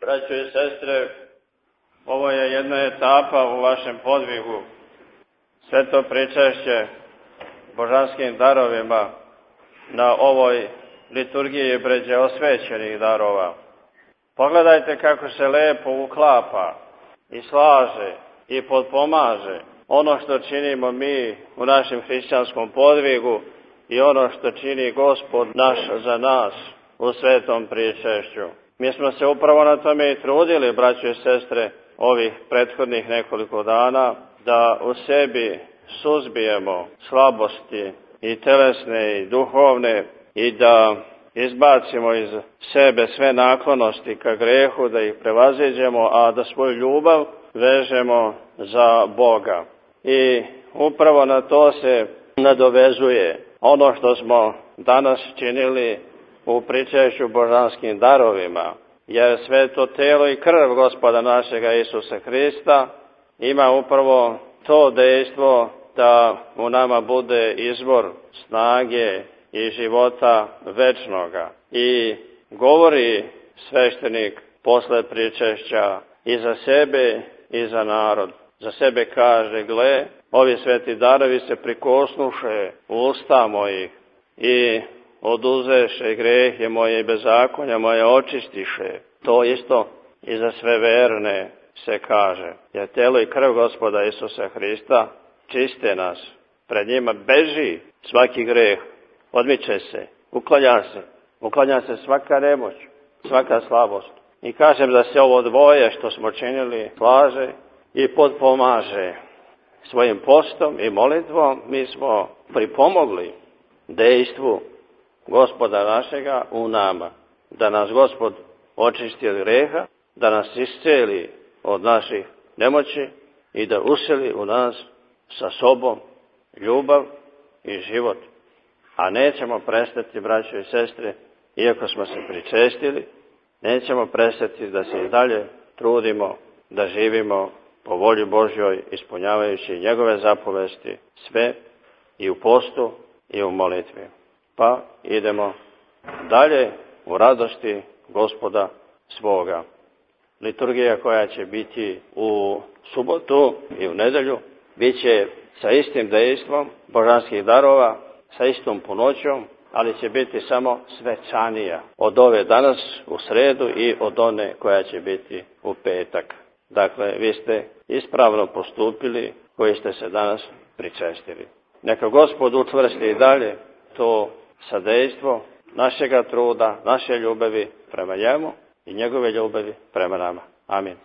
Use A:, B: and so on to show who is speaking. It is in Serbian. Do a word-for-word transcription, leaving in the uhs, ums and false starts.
A: Braćo i sestre, ovo je jedna etapa u vašem podvigu. Sveto pričešće božanskim darovima na ovoj liturgiji bređe osvećenih darova. Pogledajte kako se lepo uklapa i slaže i potpomaže ono što činimo mi u našem hrišćanskom podvigu i ono što čini Gospod naš za nas u svetom pričešću. Mi smo se upravo na tome i trudili, braćo i sestre, ovih prethodnih nekoliko dana, da u sebi suzbijemo slabosti i telesne i duhovne i da izbacimo iz sebe sve naklonosti ka grehu, da ih prevaziđemo, a da svoju ljubav vežemo za Boga. I upravo na to se nadovezuje ono što smo danas činili u pričešću božanskim darovima, jer sveto telo i krv Gospoda našega Isusa Hrista ima upravo to dejstvo da u nama bude izvor snage i života večnoga. I govori sveštenik posle pričešća i za sebe i za narod. Za sebe kaže: gle, ovi sveti darovi se prikosnuše u usta mojih i oduzeše grehe moje i bezakonja moje očistiše. To isto i za sve verne se kaže. Jer telo i krv Gospoda Isusa Hrista čiste nas. Pred njima beži svaki greh, odmiče se, uklanja se, uklanja se svaka nemoć, svaka slabost. I kažem da se ovo dvoje što smo činili slaže i potpomaže. Svojim postom i molitvom mi smo pripomogli dejstvu Gospoda našega u nama. Da nas Gospod očisti od greha, da nas isceli od naših nemoći i da useli u nas sa sobom ljubav i život. A nećemo prestati, braćo i sestre, iako smo se pričestili, nećemo prestati da se i dalje trudimo da živimo po volji Božjoj, ispunjavajući njegove zapovesti, sve i u postu i u molitvi. Pa idemo dalje u radosti Gospoda svoga. Liturgija koja će biti u subotu i u nedelju bit će sa istim dejstvom božanskih darova, sa istom punoćom, ali će biti samo svečanija od ove danas u sredu i od one koja će biti u petak. Dakle, vi ste ispravno postupili koji ste se danas pričestili. Neka Gospod učvrsti i dalje to sadejstvo našega truda, naše ljubavi prema njemu i njegove ljubavi prema nama. Amin.